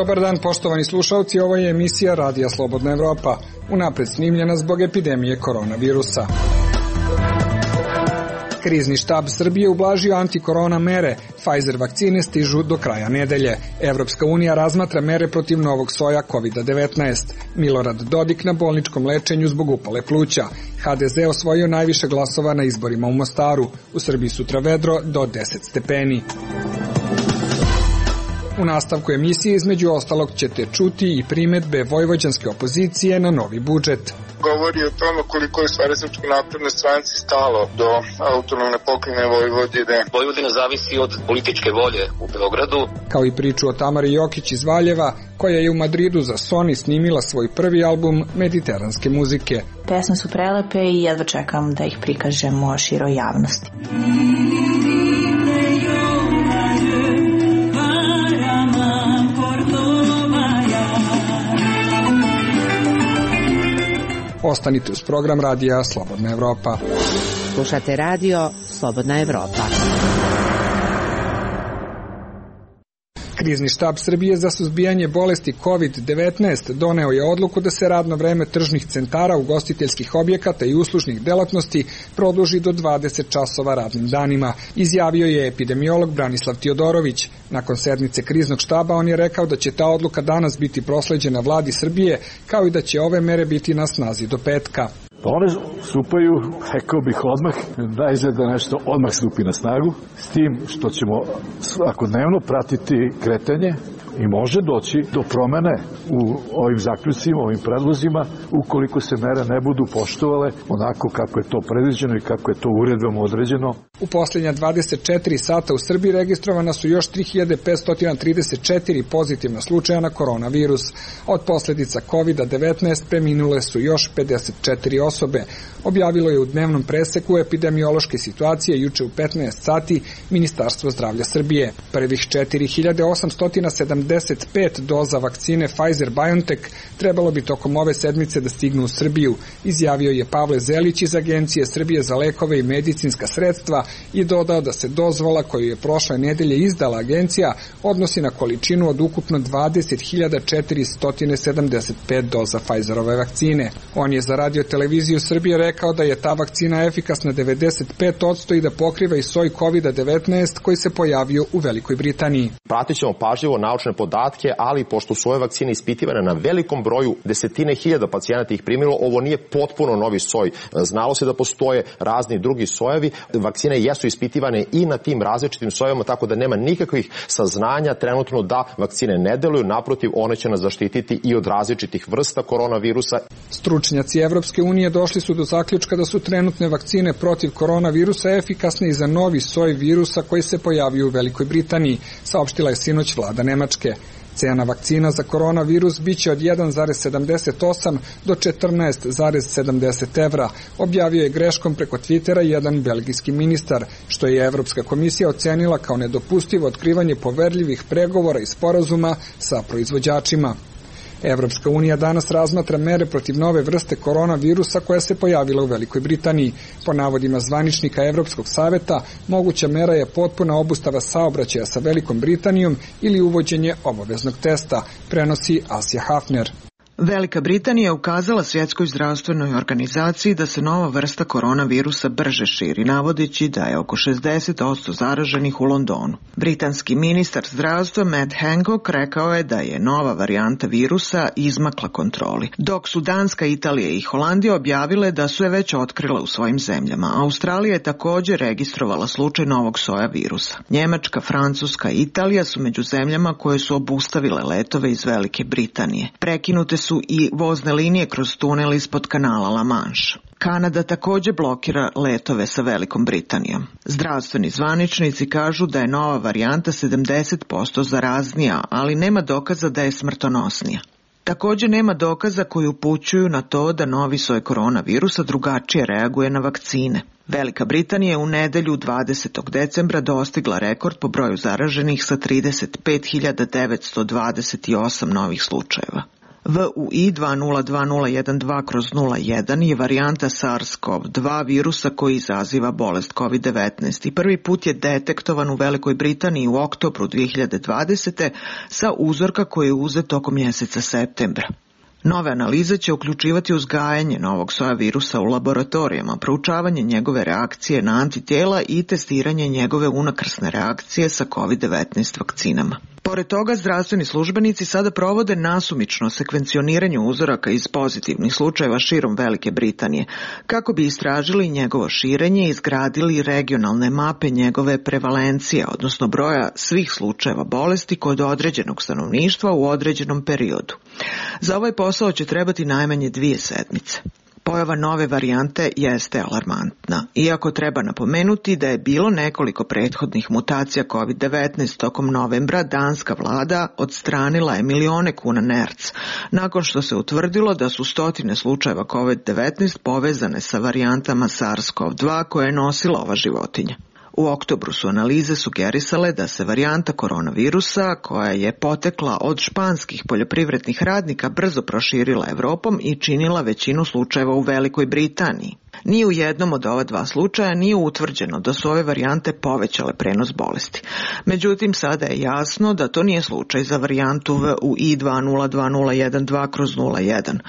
Dobar dan, poštovani slušalci, ovo je emisija Radija Slobodna Evropa, unapred snimljena zbog epidemije koronavirusa. Krizni štab Srbije ublažio antikorona mere. Pfizer vakcine stižu do kraja nedelje. Evropska unija razmatra mere protiv novog soja COVID-19. Milorad Dodik na bolničkom lečenju zbog upale pluća. HDZ osvojio najviše glasova na izborima u Mostaru. U Srbiji sutra vedro do 10 stepeni. U nastavku emisije između ostalog ćete čuti i primedbe vojvođanske opozicije na novi budžet. Govori o tome koliko je stvari Srpskoj naprednoj stranci stalo do autonomne pokrajine Vojvodine. Vojvodina zavisi od političke volje u Beogradu. Kao i priču o Tamari Jokić iz Valjeva, koja je u Madridu za Sony snimila svoj prvi album mediteranske muzike. Pesme su prelepe i jedva čekam da ih prikažemo široj javnosti. Ostanite uz program Radija Slobodna Evropa. Slušate Radio Slobodna Evropa. Krizni štab Srbije za suzbijanje bolesti COVID-19 doneo je odluku da se radno vreme tržnih centara, ugostiteljskih objekata i uslužnih delatnosti produži do 20 časova radnim danima, izjavio je epidemiolog Branislav Tiodorović. Nakon sednice kriznog štaba on je rekao da će ta odluka danas biti prosleđena vladi Srbije, kao i da će ove mere biti na snazi do petka. One stupaju, rekao bih odmah, najzad da nešto odmah stupi na snagu, s tim što ćemo svakodnevno pratiti kretanje i može doći do promene u ovim zaključcima, ovim predlozima, ukoliko se mere ne budu poštovale onako kako je to predviđeno i kako je to uredbom određeno. U posljednja 24 sata u Srbiji registrovana su još 3534 pozitivna slučaja na koronavirus. Od posljedica COVID-19 preminule su još 54 osobe. Objavilo je u dnevnom preseku epidemiološke situacije juče u 15 sati Ministarstvo zdravlja Srbije. Prvih 4875 doza vakcine Pfizer-BioNTech trebalo bi tokom ove sedmice da stignu u Srbiju, izjavio je Pavle Zelić iz Agencije Srbije za lekove i medicinska sredstva i dodao da se dozvola koju je prošle nedelje izdala agencija odnosi na količinu od ukupno 20.475 doza Pfizerove vakcine. On je za Radio televiziju Srbije rekao da je ta vakcina efikasna 95% i da pokriva i soj COVID-19 koji se pojavio u Velikoj Britaniji. Pratit ćemo pažljivo naučne podatke, ali pošto su ove vakcine ispitivane na velikom broju, desetine hiljada pacijenata ih primilo, ovo nije potpuno novi soj. Znalo se da postoje razni drugi sojevi. Vakcine jesu ispitivane i na tim različitim sojevima, tako da nema nikakvih saznanja trenutno da vakcine ne deluju. Naprotiv, one će nas zaštititi i od različitih vrsta koronavirusa. Stručnjaci Evropske unije došli su do zaključka da su trenutne vakcine protiv koronavirusa efikasne i za novi soj virusa koji se pojavio u Velikoj Britaniji, saopštila je sinoć vlada Nemačke. Cena vakcina za koronavirus biće od 1,78 do 14,70 evra, objavio je greškom preko Twittera jedan belgijski ministar, što je Evropska komisija ocenila kao nedopustivo otkrivanje poverljivih pregovora i sporazuma sa proizvođačima. Evropska unija danas razmatra mere protiv nove vrste koronavirusa koja se pojavila u Velikoj Britaniji. Po navodima zvaničnika Evropskog saveta, moguća mera je potpuna obustava saobraćaja sa Velikom Britanijom ili uvođenje obaveznog testa, prenosi Asja Hafner. Velika Britanija je ukazala Svjetskoj zdravstvenoj organizaciji da se nova vrsta koronavirusa brže širi, navodeći da je oko 60% zaraženih u Londonu. Britanski ministar zdravstva Matt Hancock rekao je da je nova varijanta virusa izmakla kontroli, dok su Danska, Italija i Holandija objavile da su je već otkrile u svojim zemljama. Australija je također registrovala slučaj novog soja virusa. Njemačka, Francuska i Italija su među zemljama koje su obustavile letove iz Velike Britanije. Prekinute su i vozne linije kroz tunel ispod kanala La Manche. Kanada također blokira letove sa Velikom Britanijom. Zdravstveni zvaničnici kažu da je nova varijanta 70% zaraznija, ali nema dokaza da je smrtonosnija. Također nema dokaza koji upućuju na to da novi soj koronavirusa drugačije reaguje na vakcine. Velika Britanija je u nedelju 20. decembra dostigla rekord po broju zaraženih sa 35.928 novih slučajeva. VUI 202012/01 je varijanta SARS-CoV-2 virusa koji izaziva bolest COVID-19 i prvi put je detektovan u Velikoj Britaniji u oktobru 2020. sa uzorka koji je uzet tokom mjeseca septembra. Nove analize će uključivati uzgajanje novog soja virusa u laboratorijama, proučavanje njegove reakcije na antitijela i testiranje njegove unakrsne reakcije sa COVID-19 vakcinama. Pored toga, zdravstveni službenici sada provode nasumično sekvencioniranje uzoraka iz pozitivnih slučajeva širom Velike Britanije, kako bi istražili njegovo širenje i izgradili regionalne mape njegove prevalencije, odnosno broja svih slučajeva bolesti kod određenog stanovništva u određenom periodu. Za ovaj posao će trebati najmanje 2 sedmice. Pojava nove varijante jeste alarmantna, iako treba napomenuti da je bilo nekoliko prethodnih mutacija COVID-19 tokom novembra, danska vlada odstranila je milione kuna nerc, nakon što se utvrdilo da su stotine slučajeva COVID-19 povezane sa varijantama SARS-CoV-2 koje je nosila ova životinja. U oktobru su analize sugerisale da se varijanta koronavirusa, koja je potekla od španskih poljoprivrednih radnika, brzo proširila Evropom i činila većinu slučajeva u Velikoj Britaniji. Ni u jednom od ova 2 slučaja nije utvrđeno da su ove varijante povećale prenos bolesti. Međutim, sada je jasno da to nije slučaj za varijantu VUI 202012/01.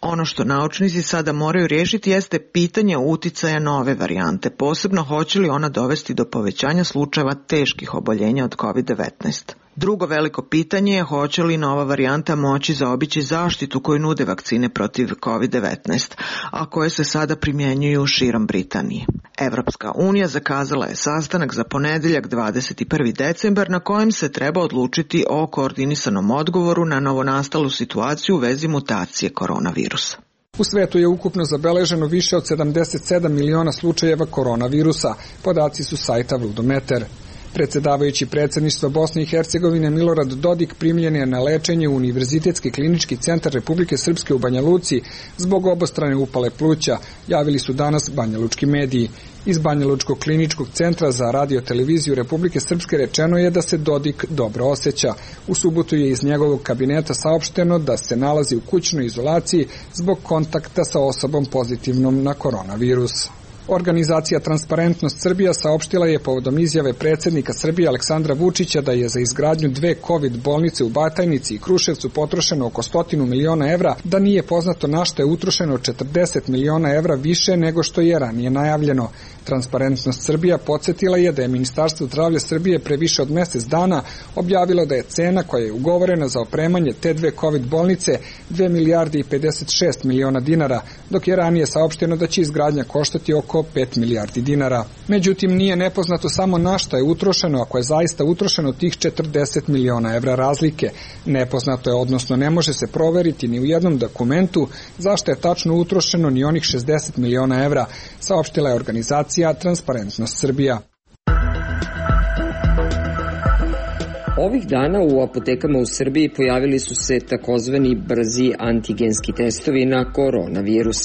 Ono što naučnici sada moraju riješiti jeste pitanje uticaja nove varijante, posebno hoće li ona dovesti do povećanja slučajeva teških oboljenja od COVID-19. Drugo veliko pitanje je hoće li nova varijanta moći zaobići zaštitu koju nude vakcine protiv COVID-19, a koje se sada primjenjuju širom Britanije. Evropska unija zakazala je sastanak za ponedjeljak 21. decembar na kojem se treba odlučiti o koordinisanom odgovoru na novonastalu situaciju u vezi mutacije koronavirusa. U svetu je ukupno zabeleženo više od 77 miliona slučajeva koronavirusa, podaci su sajta Vludometer. Predsedavajući predsjedništva Bosne i Hercegovine Milorad Dodik primljen je na lečenje u Univerzitetski klinički centar Republike Srpske u Banja Luci zbog obostrane upale pluća, javili su danas banjalučki mediji. Iz Banjalučkog kliničkog centra za radio-televiziju Republike Srpske rečeno je da se Dodik dobro osjeća. U subotu je iz njegovog kabineta saopšteno da se nalazi u kućnoj izolaciji zbog kontakta sa osobom pozitivnom na koronavirus. Organizacija Transparentnost Srbija saopštila je povodom izjave predsjednika Srbije Aleksandra Vučića da je za izgradnju 2 COVID bolnice u Batajnici i Kruševcu potrošeno oko 100 miliona evra, da nije poznato na što je utrošeno 40 miliona evra više nego što je ranije najavljeno. Transparentnost Srbija podsjetila je da je Ministarstvo zdravlja Srbije pre više od mjesec dana objavilo da je cena koja je ugovorena za opremanje te 2 COVID bolnice 2 milijarde i 56 miliona dinara, dok je ranije saopšteno da će izgradnja koštati oko 5 milijardi dinara. Međutim, nije nepoznato samo na šta je utrošeno, ako je zaista utrošeno tih 40 miliona evra razlike. Nepoznato je, odnosno ne može se proveriti ni u jednom dokumentu zašto je tačno utrošeno ni onih 60 miliona evra, saopštila je organizacija Transparentnost Srbija. Ovih dana u apotekama u Srbiji pojavili su se takozvani brzi antigenski testovi na koronavirus.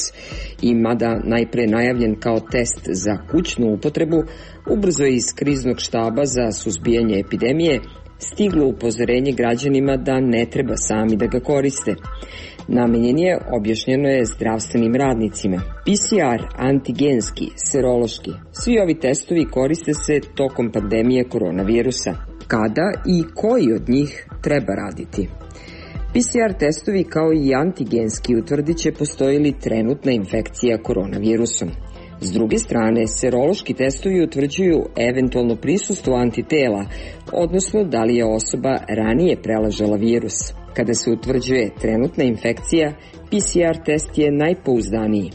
I mada najpre najavljen kao test za kućnu upotrebu, ubrzo je iz kriznog štaba za suzbijanje epidemije stiglo upozorenje građanima da ne treba sami da ga koriste. Namenjen je, objašnjeno je, zdravstvenim radnicima. PCR, antigenski, serološki, svi ovi testovi koriste se tokom pandemije koronavirusa. Kada i koji od njih treba raditi? PCR testovi kao i antigenski utvrdit će postoji li trenutna infekcija koronavirusom. S druge strane, serološki testovi utvrđuju eventualno prisustvo antitela, odnosno da li je osoba ranije preležala virus. Kada se utvrđuje trenutna infekcija, PCR test je najpouzdaniji.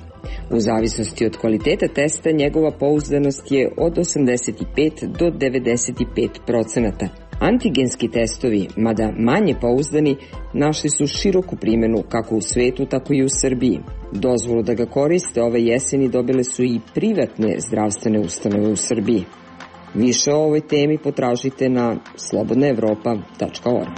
U zavisnosti od kvaliteta testa, njegova pouzdanost je od 85 do 95%. Antigenski testovi, mada manje pouzdani, našli su široku primjenu kako u svetu, tako i u Srbiji. Dozvolu da ga koriste ove jeseni dobile su i privatne zdravstvene ustanove u Srbiji. Više o ovoj temi potražite na slobodnaevropa.org.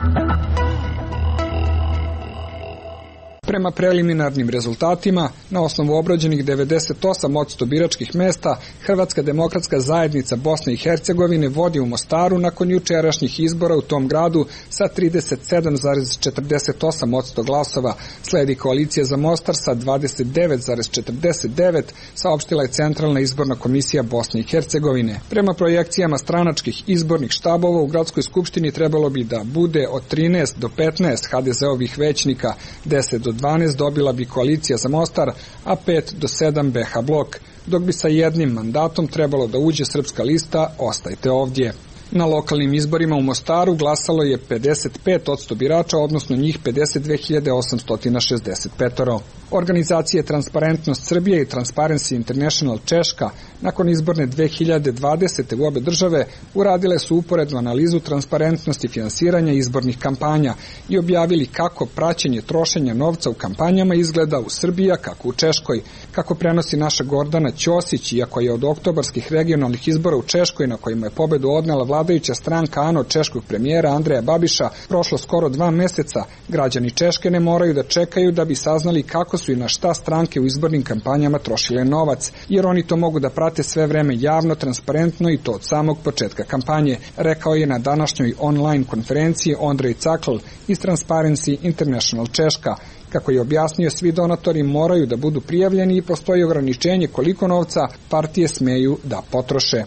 Prema preliminarnim rezultatima, na osnovu obrađenih 98% biračkih mesta, Hrvatska demokratska zajednica Bosne i Hercegovine vodi u Mostaru nakon jučerašnjih izbora u tom gradu sa 37,48% glasova. Sledi koalicija za Mostar sa 29,49%, saopštila je Centralna izborna komisija Bosne i Hercegovine. Prema projekcijama stranačkih izbornih štabova u gradskoj skupštini trebalo bi da bude od 13 do 15 HDZ-ovih većnika, 10 do 12 dobila bi koalicija za Mostar, a 5 do 7 BH blok, dok bi sa jednim mandatom trebalo da uđe Srpska lista Ostajte ovdje. Na lokalnim izborima u Mostaru glasalo je 55% birača, odnosno njih 52.865. Organizacije Transparentnost Srbije i Transparency International Češka nakon izborne 2020. u obe države uradile su uporednu analizu transparentnosti finansiranja izbornih kampanja i objavili kako praćenje trošenja novca u kampanjama izgleda u Srbiji, kako u Češkoj. Kako prenosi naša Gordana Ćosić, iako je od oktobarskih regionalnih izbora u Češkoj na kojima je pobedu odnela vladajuća stranka ANO češkog premijera Andreja Babiša prošlo skoro 2 meseca, građani Češke ne moraju da čekaju da bi saznali kako su i na šta stranke u izbornim kampanjama trošile novac, jer oni to mogu da prate sve vreme javno, transparentno i to od samog početka kampanje, rekao je na današnjoj online konferenciji Ondrej Cakl iz Transparency International Češka. Kako je objasnio, svi donatori moraju da budu prijavljeni i postoji ograničenje koliko novca partije smeju da potroše.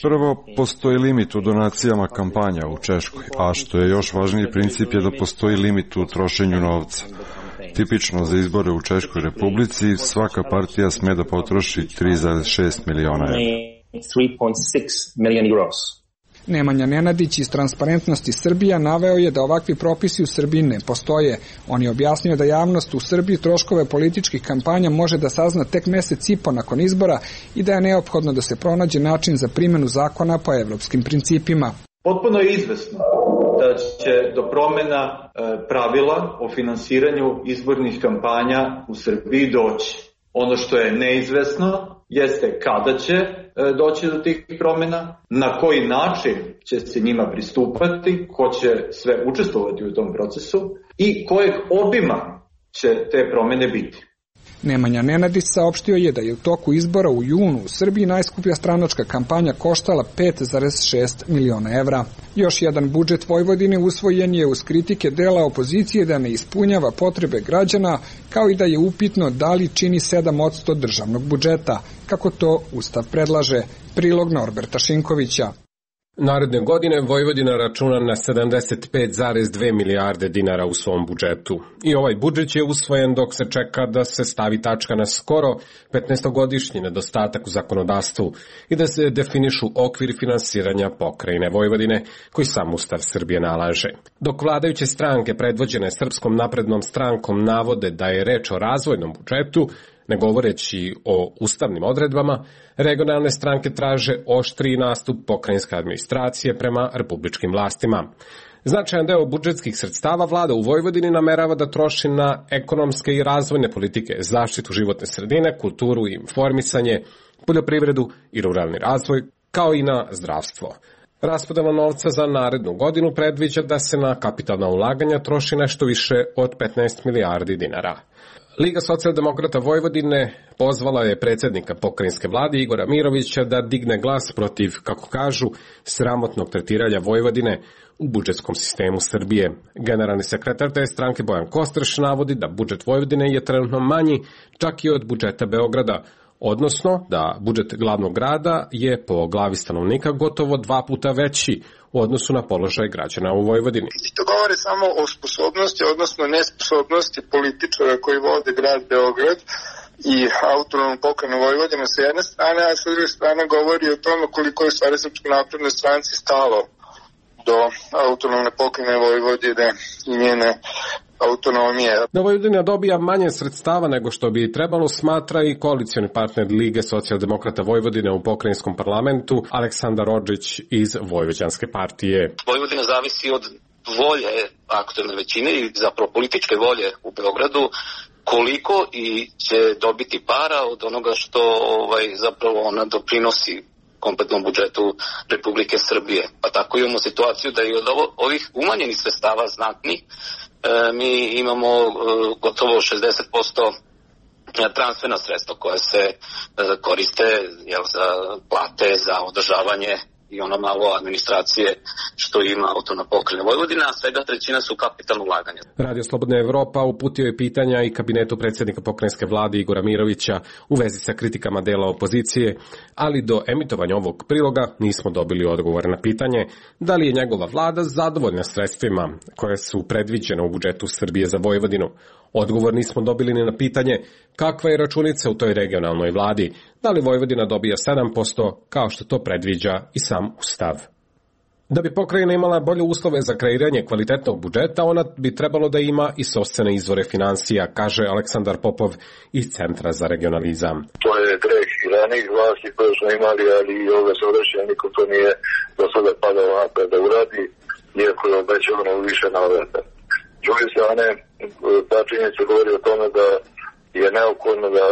Prvo, postoji limit u donacijama kampanja u Češkoj, a što je još važniji princip je da postoji limit u trošenju novca. Tipično za izbore u Češkoj Republici, svaka partija sme da potroši 3,6 miliona evra. Nemanja Nenadić iz Transparentnosti Srbija naveo je da ovakvi propisi u Srbiji ne postoje. On je objasnio da javnost u Srbiji troškove političkih kampanja može da sazna tek mesec i po nakon izbora i da je neophodno da se pronađe način za primjenu zakona po evropskim principima. Potpuno je izvesno da će do promena pravila o finansiranju izbornih kampanja u Srbiji doći. Ono što je neizvesno jeste kada će doći do tih promjena, na koji način će se njima pristupati, ko će sve učestvovati u tom procesu i kojeg obima će te promjene biti. Nemanja Nenadić saopštio je da je u toku izbora u junu u Srbiji najskuplja stranačka kampanja koštala 5,6 miliona evra. Još jedan budžet Vojvodine usvojen je uz kritike dela opozicije da ne ispunjava potrebe građana, kao i da je upitno da li čini 7% državnog budžeta, kako to Ustav predlaže. Prilog Norberta Šinkovića. Naredne godine Vojvodina računa na 75,2 milijarde dinara u svom budžetu. I ovaj budžet je usvojen dok se čeka da se stavi tačka na skoro 15-godišnji nedostatak u zakonodavstvu i da se definišu okvir finansiranja pokrajine Vojvodine, koji sam Ustav Srbije nalaže. Dok vladajuće stranke predvođene Srpskom naprednom strankom navode da je reč o razvojnom budžetu, ne govoreći o ustavnim odredbama, regionalne stranke traže oštriji nastup pokrajinske administracije prema republičkim vlastima. Značajan deo budžetskih sredstava vlada u Vojvodini namerava da troši na ekonomske i razvojne politike, zaštitu životne sredine, kulturu i informisanje, poljoprivredu i ruralni razvoj, kao i na zdravstvo. Raspodela novca za narednu godinu predviđa da se na kapitalna ulaganja troši nešto više od 15 milijardi dinara. Liga socijaldemokrata Vojvodine pozvala je predsjednika pokrajinske vlade Igora Mirovića da digne glas protiv, kako kažu, sramotnog tretiranja Vojvodine u budžetskom sistemu Srbije. Generalni sekretar te stranke Bojan Kostreš navodi da budžet Vojvodine je trenutno manji čak i od budžeta Beograda, odnosno da budžet glavnog grada je po glavi stanovnika gotovo 2 puta veći u odnosu na položaj građana u Vojvodini. To govori samo o sposobnosti, odnosno nesposobnosti političara koji vode grad Beograd i autonomnu pokrajinu Vojvodinu sa jedne strane, a sa druge strane govori o tome koliko je stvari Srpskoj naprednoj stranci stalo do autonomne pokrajine Vojvodine i njene autonomije. Da Vojvodina dobija manje sredstava nego što bi trebalo, smatra i koalicioni partner Lige socijaldemokrata Vojvodine u pokrajinskom parlamentu Aleksandar Odžić iz Vojvođanske partije. Vojvodina zavisi od volje aktuelne većine i zapravo političke volje u Beogradu, koliko i će dobiti para od onoga što zapravo ona doprinosi kompletnom budžetu Republike Srbije. Pa tako imamo situaciju da i od ovih umanjenih sredstava znatnih mi imamo gotovo 60% transferna sredstva koja se koriste za plate, za održavanje i ono malo administracije što ima autonomna pokrajina Vojvodina, a svega trećina su kapitalno ulaganja. Radio Slobodna Evropa uputio je pitanja i kabinetu predsjednika pokrajinske vlade Igora Mirovića u vezi sa kritikama dela opozicije, ali do emitovanja ovog priloga nismo dobili odgovor na pitanje da li je njegova vlada zadovoljna sredstvima koje su predviđene u budžetu Srbije za Vojvodinu. Odgovor nismo dobili ni na pitanje kakva je računica u toj regionalnoj vladi, da li Vojvodina dobija 7% kao što to predviđa i sam Ustav. Da bi pokrajina imala bolje uslove za kreiranje kvalitetnog budžeta, ona bi trebalo da ima i sopstvene izvore finansija, kaže Aleksandar Popov iz Centra za regionalizam. To je greh i ranijih vlasti koje smo imali, ali i ove sadašnje niko to nije do sada padao napred da uradi, iako je obećavano više navrata. S druge strane, ta činjenica govori o tome da je neophodno da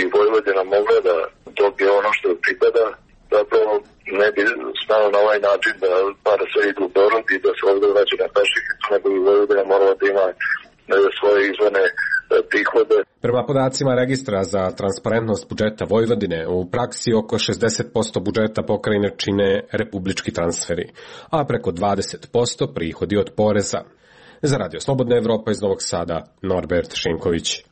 i Vojvodina mogla da dobije ono što pripada, zapravo ne bi smelo na ovaj način da para sve idu u Beograd i da se ovdje vraća na peših, nego bi Vojvodina morala da ima svoje izvane prihode. Prema podacima registra za transparentnost budžeta Vojvodine, u praksi oko 60% budžeta pokrajine čine republički transferi, a preko 20% prihodi od poreza. Za Radio Slobodna Evropa iz Novog Sada, Norbert Šinković.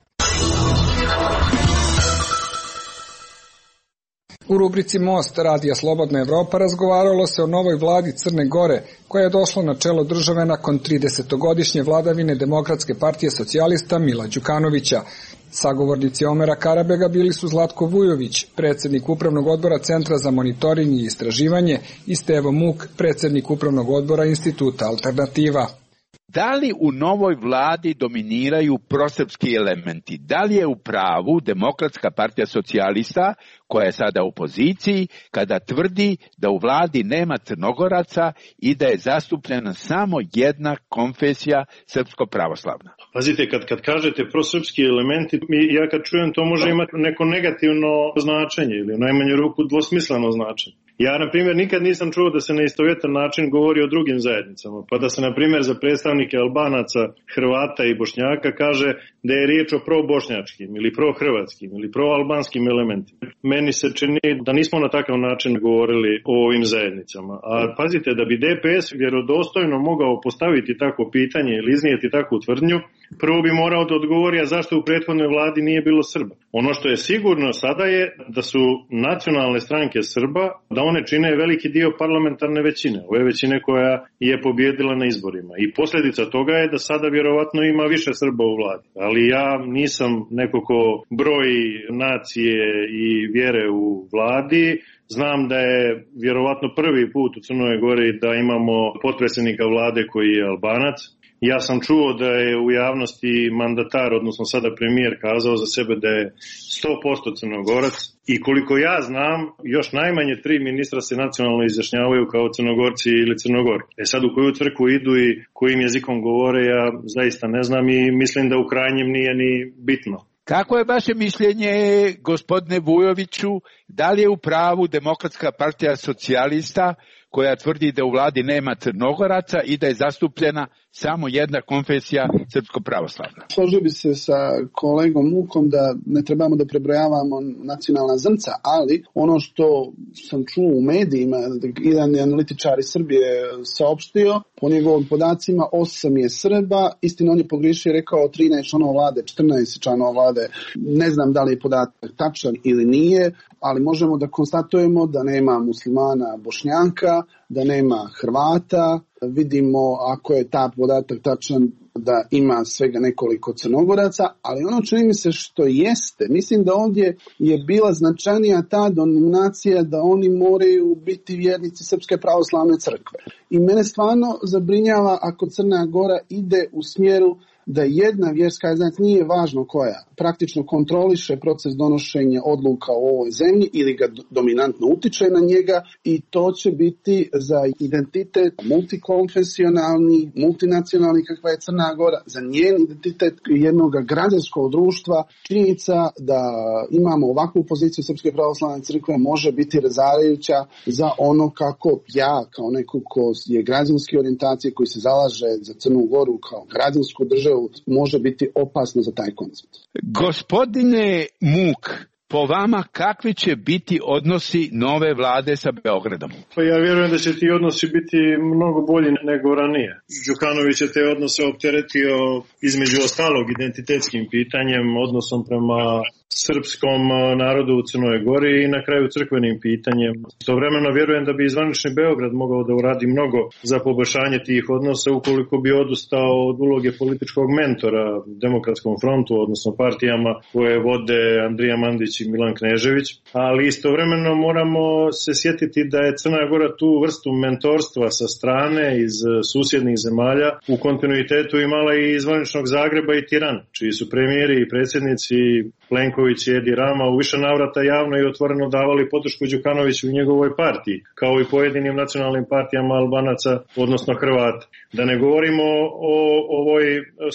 U rubrici Most Radija Slobodna Evropa razgovaralo se o novoj vladi Crne Gore, koja je došla na čelo države nakon 30-godišnje vladavine Demokratske partije socijalista Mila Đukanovića. Sagovornici Omera Karabega bili su Zlatko Vujović, predsjednik Upravnog odbora Centra za monitoring i istraživanje, i Stevo Muk, predsjednik Upravnog odbora Instituta Alternativa. Da li u novoj vladi dominiraju prosrpski elementi? Da li je u pravu Demokratska partija socijalista, koja je sada u opoziciji, kada tvrdi da u vladi nema Crnogoraca i da je zastupljena samo jedna konfesija srpsko-pravoslavna? Pazite, kad kažete prosrpski elementi, ja kad čujem to može imati neko negativno značenje ili u najmanju ruku dvosmisleno značenje. Ja, na primjer, nikad nisam čuo da se na istovjetan način govori o drugim zajednicama, pa da se, na primjer, za predstavnike Albanaca, Hrvata i Bošnjaka kaže da je riječ o pro-bošnjačkim ili pro-hrvatskim ili pro-albanskim elementima. Meni se čini da nismo na takav način govorili o ovim zajednicama. A pazite, da bi DPS vjerodostojno mogao postaviti takvo pitanje ili iznijeti takvu tvrdnju, prvo bi morao da odgovori, a zašto u prethodnoj vladi nije bilo Srba. Ono što je sigurno sada je da su nacionalne stranke Srba, da one čine veliki dio parlamentarne većine, ove većine koja je pobjedila na izborima. I posljedica toga je da sada vjerovatno ima više Srba u vladi. Ali ja nisam neko ko broji nacije i vjere u vladi. Znam da je vjerovatno prvi put u Crnoj Gori da imamo potpredsjednika vlade koji je Albanac. Ja sam čuo da je u javnosti mandatar, odnosno sada premijer, kazao za sebe da je 100% Crnogorac i koliko ja znam, još najmanje 3 ministra se nacionalno izjašnjavaju kao Crnogorci ili Crnogori. Sad u koju crkvu idu i kojim jezikom govore, ja zaista ne znam i mislim da u krajnjem nije ni bitno. Kako je vaše mišljenje, gospodine Vujoviću, da li je u pravu Demokratska partija socijalista koja tvrdi da u vladi nema Crnogoraca i da je zastupljena samo jedna konfesija srpsko-pravoslavna? Složio bi se sa kolegom Mukom da ne trebamo da prebrojavamo nacionalna zrnca, ali ono što sam čuo u medijima, jedan analitičar iz Srbije saopštio, po njegovim podacima 8 je Srba, istina on je pogriješio i rekao 13 članova vlade, 14 članova vlade, ne znam da li je podatak tačan ili nije, ali možemo da konstatujemo da nema muslimana Bošnjaka, da nema Hrvata, vidimo ako je ta podatak tačan da ima svega nekoliko Crnogoraca, ali ono čini mi se što jeste, mislim da ovdje je bila značajnija ta denominacija da oni moraju biti vjernici Srpske pravoslavne crkve. I mene stvarno zabrinjava ako Crna Gora ide u smjeru da jedna vjerska zajednica, nije važno koja, praktično kontroliše proces donošenja odluka u ovoj zemlji ili ga dominantno utiče na njega, i to će biti za identitet multikonfesionalni, multinacionalni kakva je Crna Gora, za njen identitet jednog građanskog društva. Činjenica da imamo ovakvu poziciju Srpske pravoslavne crkve može biti razarajuća za ono kako ja, kao neko ko je građanske orijentacije, koji se zalaže za Crnu Goru kao građansku državu, može biti opasno za taj koncept. Gospodine Muk, po vama kakvi će biti odnosi nove vlade sa Beogradom? Pa ja vjerujem da će ti odnosi biti mnogo bolji nego ranije. Đukanović je te odnose opteretio između ostalog identitetskim pitanjem, odnosom prema srpskom narodu u Crnoj Gori i na kraju crkvenim pitanjem. Istovremeno vjerujem da bi zvanični Beograd mogao da uradi mnogo za poboljšanje tih odnosa ukoliko bi odustao od uloge političkog mentora Demokratskom frontu, odnosno partijama koje vode Andrija Mandić i Milan Knežević, ali istovremeno moramo se sjetiti da je Crna Gora tu vrstu mentorstva sa strane iz susjednih zemalja u kontinuitetu imala i iz zvaničnog Zagreba i Tirana, čiji su premijeri i predsjednici Plenković i Edi Rama u više navrata javno i otvoreno davali podršku Đukanoviću i njegovoj partiji, kao i pojedinim nacionalnim partijama Albanaca, odnosno Hrvata. Da ne govorimo o ovoj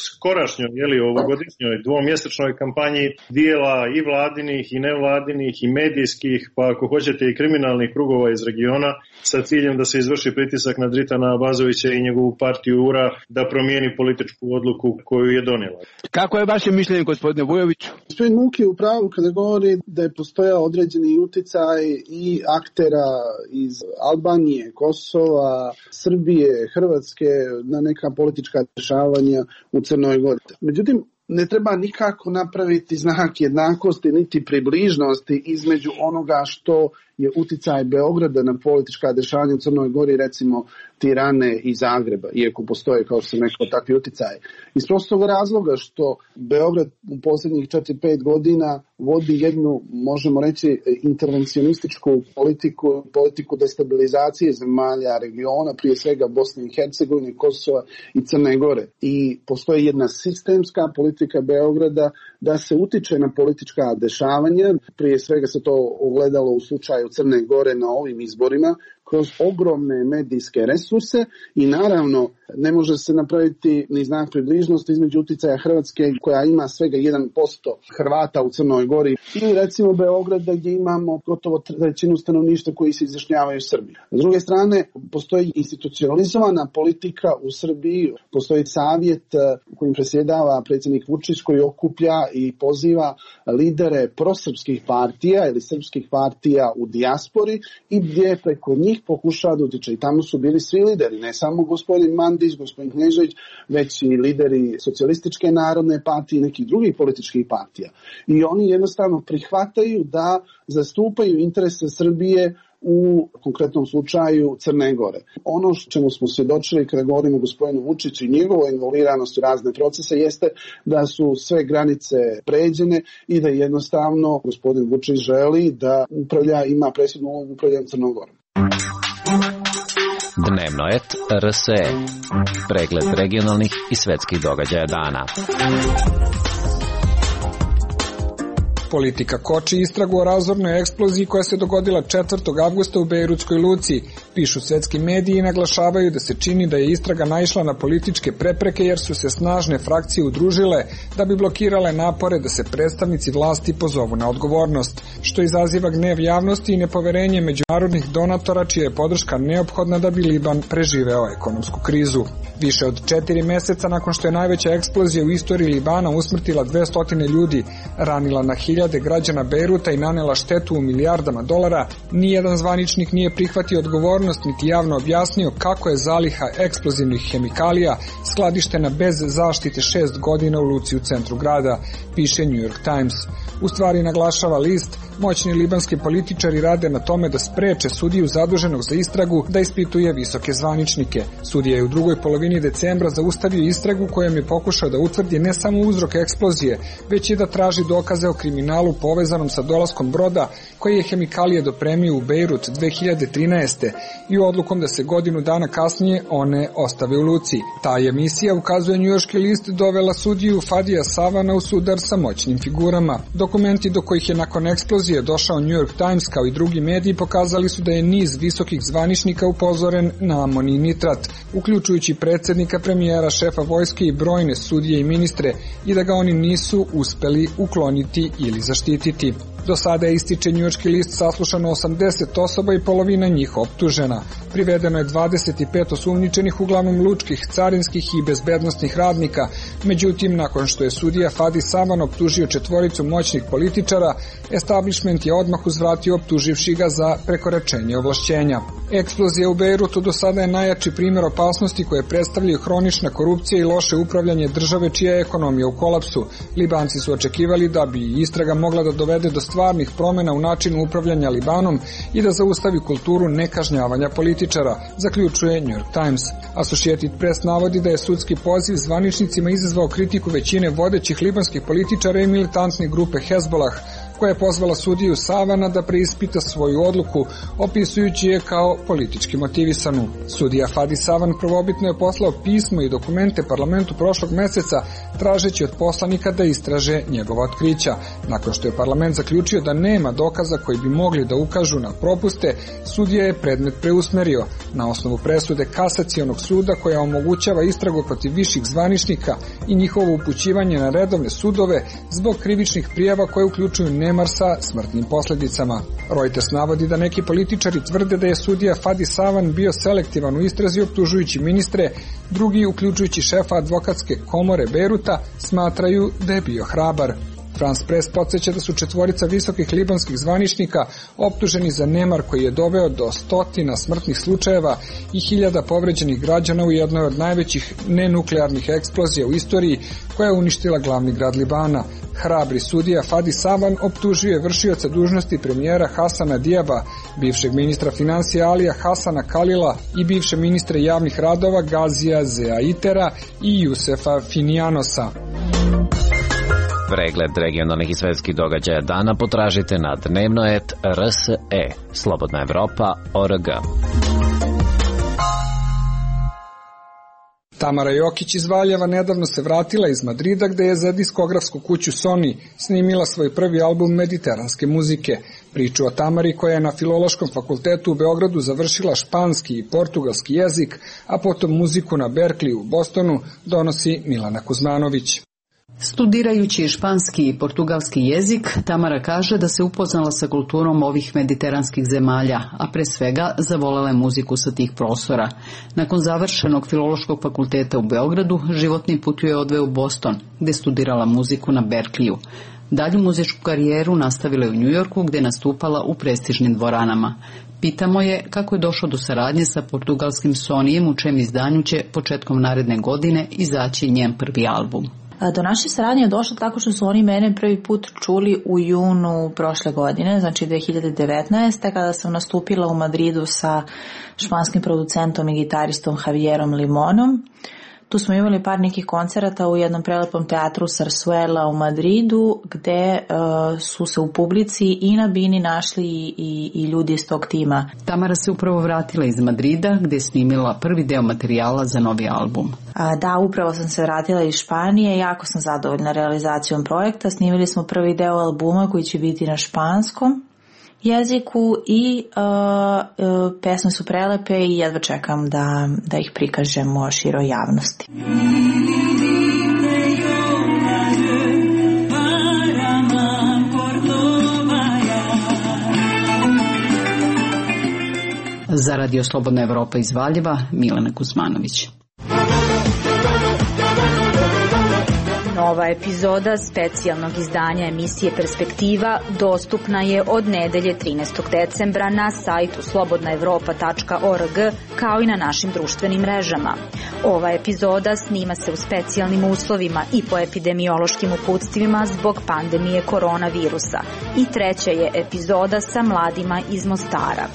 skorašnjoj, ovogodišnjoj dvomjesečnoj kampanji dijela i vladinih i nevladinih i medijskih, pa ako hoćete i kriminalnih krugova iz regiona, sa ciljem da se izvrši pritisak na Dritana Abazovića i njegovu partiju URA da promijeni političku odluku koju je donijela. Kako je vaše mišljenje, gospodine Vujoviću? Gospodin Muk je u pravu kada govori da je postojao određeni uticaj i aktera iz Albanije, Kosova, Srbije, Hrvatske na neka politička dešavanja u Crnoj Gori. Međutim, ne treba nikako napraviti znak jednakosti niti približnosti između onoga što je uticaj Beograda na politička dešavanja u Crnoj Gori, recimo Tirane i Zagreba, iako postoje, kao što sam rekao, takvi uticaji. Iz prostog razloga što Beograd u posljednjih 4-5 godina vodi jednu, možemo reći, intervencionističku politiku destabilizacije zemalja regiona, prije svega Bosne i Hercegovine, Kosova i Crne Gore. I postoji jedna sistemska politika Beograda da se utiče na politička dešavanja, prije svega se to ogledalo u slučaju Crne Gore na ovim izborima, kroz ogromne medijske resurse, i naravno ne može se napraviti ni znak približnosti između uticaja Hrvatske, koja ima svega 1% Hrvata u Crnoj Gori, i recimo Beograda gdje imamo gotovo trećinu stanovništva koji se izjašnjavaju Srbiji. S druge strane, postoji institucionalizovana politika u Srbiji, postoji savjet kojim presjedava predsjednik Vučić, koji okuplja i poziva lidere prosrpskih partija ili srpskih partija u dijaspori, i gdje preko njih pokušava da utiče. I tamo su bili svi lideri, ne samo gospodin Mandić, gospodin Knežević, već i lideri Socijalističke narodne partije i nekih drugih političkih partija. I oni jednostavno prihvataju da zastupaju interese Srbije u konkretnom slučaju Crne Gore. Ono čemu smo svjedočili kada govorimo o gospodinu Vučiću i njegovoj involviranosti u razne procese jeste da su sve granice pređene i da jednostavno gospodin Vučić želi da ima presudnu ulogu upravljanja Crnom Gorom. Dnevnoet RSE. Pregled regionalnih i svetskih događaja dana. Politika koči istragu o razornoj eksploziji koja se dogodila 4. avgusta u Bejrutskoj luci. Pišu svetski mediji i naglašavaju da se čini da je istraga naišla na političke prepreke jer su se snažne frakcije udružile da bi blokirale napore da se predstavnici vlasti pozovu na odgovornost, što izaziva gnev javnosti i nepoverenje međunarodnih donatora čija je podrška neophodna da bi Liban preživeo ekonomsku krizu. Više od 4 meseca nakon što je najveća eksplozija u istoriji Libana usmrtila 200 ljudi, ranila na hiljade građana Bejruta i nanela štetu u milijardama dolara, nijedan zvaničnik nije prihvatio odgovornost niti javno objasnio kako je zaliha eksplozivnih hemikalija skladištena bez zaštite 6 godina u luci u centru grada, piše New York Times. U stvari, naglašava list, moćni libanski političari rade na tome da spreče sudiju zaduženog za istragu da ispituje visoke zvaničnike. Sudija je u drugoj polovini decembra zaustavio istragu kojom je pokušao da utvrdi ne samo uzrok eksplozije, već i da traži dokaze o kriminalu povezanom sa dolaskom broda koji je hemikalije dopremio u Bejrut 2013. i odlukom da se godinu dana kasnije one ostave u luci. Ta emisija, ukazuje njujorški list, dovela sudiju Fadija Savana u sudar sa moćnim figurama. Dokumenti do kojih je nakon eksplozije došao New York Times kao i drugi mediji pokazali su da je niz visokih zvaničnika upozoren na amonijni nitrat, uključujući predsjednika, premijera, šefa vojske i brojne sudije i ministre, i da ga oni nisu uspeli ukloniti ili zaštititi. Do sada je, ističe njujorški list, saslušano 80 osoba i polovina njih optužena. Privedeno je 25 osumnjičenih, uglavnom lučkih, carinskih i bezbednostnih radnika. Međutim, nakon što je sudija Fadi Savan optužio 4 moćnih političara, establishment je odmah uzvratio optuživši ga za prekoračenje ovlašćenja. Eksplozija u Bejrutu do sada je najjači primjer opasnosti koje predstavljaju hronična korupcija i loše upravljanje države čija je ekonomija u kolapsu. Libanci su očekivali da bi istraga mogla da dovede do stvarnih promjena u načinu upravljanja Libanom i da zaustavi kulturu nekažnjavanja političara, zaključuje New York Times. Associated Press navodi da je sudski poziv zvaničnicima izazvao kritiku većine vodećih libanskih političara i militantne grupe Hezbollah, koja je pozvala sudiju Savana da preispita svoju odluku, opisujući je kao politički motivisanu. Sudija Fadi Savan prvobitno je poslao pismo i dokumente parlamentu prošlog meseca, tražeći od poslanika da istraže njegova otkrića. Nakon što je parlament zaključio da nema dokaza koji bi mogli da ukažu na propuste, sudija je predmet preusmerio na osnovu presude Kasacionog suda koja omogućava istragu protiv viših zvaničnika i njihovo upućivanje na redovne sudove zbog krivičnih prijava koje uključuju nemar sa smrtnim posljedicama. Reuters navodi da neki političari tvrde da je sudija Fadi Savan bio selektivan u istrazi optužujući ministre, drugi, uključujući šefa advokatske komore Bejruta, smatraju da je bio hrabar. France Press podsjeća da su 4 visokih libanskih zvaničnika optuženi za nemar koji je doveo do 100 smrtnih slučajeva i 1000 povređenih građana u jednoj od najvećih nenuklearnih eksplozija u istoriji koja je uništila glavni grad Libana. Hrabri sudija Fadi Savan optužio je vršioca dužnosti premijera Hasana Dijaba, bivšeg ministra financija Alija Hasana Kalila i bivše ministre javnih radova Gazija Zeaitera i Jusefa Finianosa. Pregled regionalnih i svetskih događaja dana potražite na dnevnoet.rse, Slobodna Evropa.org. Tamara Jokić iz Valjeva nedavno se vratila iz Madrida, gde je za diskografsku kuću Sony snimila svoj prvi album mediteranske muzike. Priču o Tamari, koja je na Filološkom fakultetu u Beogradu završila španski i portugalski jezik, a potom muziku na Berkeley u Bostonu, donosi Milana Kuzmanović. Studirajući španski i portugalski jezik, Tamara kaže da se upoznala sa kulturom ovih mediteranskih zemalja, a pre svega zavolela je muziku sa tih prostora. Nakon završenog Filološkog fakulteta u Beogradu, životni put ju je odveo u Boston, gde studirala muziku na Berkeleyu. Dalju muzičku karijeru nastavila je u Njujorku, gde je nastupala u prestižnim dvoranama. Pitamo je kako je došlo do saradnje sa portugalskim Sonyjem, u čijem izdanju će početkom naredne godine izaći njen prvi album. Do naše saradnje je došlo tako što su oni mene prvi put čuli u junu prošle godine, znači 2019. kada sam nastupila u Madridu sa španskim producentom i gitaristom Javierom Limonom. Tu smo imali par nekih koncerata u jednom prelepom teatru Sarsuela u Madridu, gde su se u publici i na bini našli i ljudi iz tog tima. Tamara se upravo vratila iz Madrida, gde je snimila prvi deo materijala za novi album. Da, upravo sam se vratila iz Španije, jako sam zadovoljna realizacijom projekta. Snimili smo prvi deo albuma koji će biti na španskom jeziku i pesme su prelepe i jedva čekam da ih prikažemo široj javnosti. Za Radio Slobodna Evropa iz Valjeva, Milana Kuzmanović. Nova epizoda specijalnog izdanja emisije Perspektiva dostupna je od nedelje 13. decembra na sajtu slobodnaevropa.org kao i na našim društvenim mrežama. Ova epizoda snima se u specijalnim uslovima i po epidemiološkim uputstvima zbog pandemije koronavirusa i treća je epizoda sa mladima iz Mostara.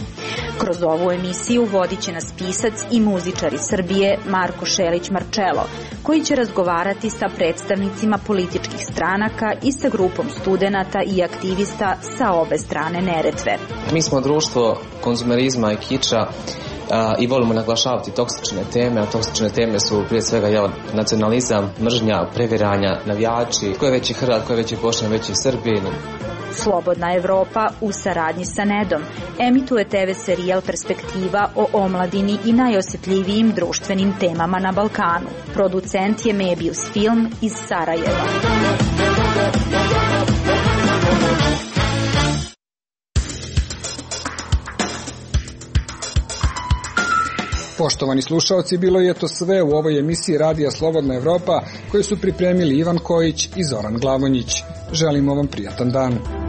Kroz ovu emisiju vodit će nas pisac i muzičar iz Srbije Marko Šelić-Marčelo, koji će razgovarati sa predstavnicima političkih stranaka i sa grupom studenata i aktivista sa obe strane Neretve. Mi smo društvo konzumerizma i kiča i volimo naglašavati toksične teme, a toksične teme su prije svega nacionalizam, mržnja, previranja, navijači, ko je veći Hrvat, ko je veći Bošnjak, veći Srbin. Slobodna Evropa u saradnji sa NED-om emituje TV serijal Perspektiva o omladini i najosjetljivijim društvenim temama na Balkanu. Producent je Mebius Film iz Sarajeva. Poštovani slušaoci, bilo je to sve u ovoj emisiji Radija Slobodna Evropa koju su pripremili Ivan Kojić i Zoran Glavonjić. Želimo vam prijatan dan.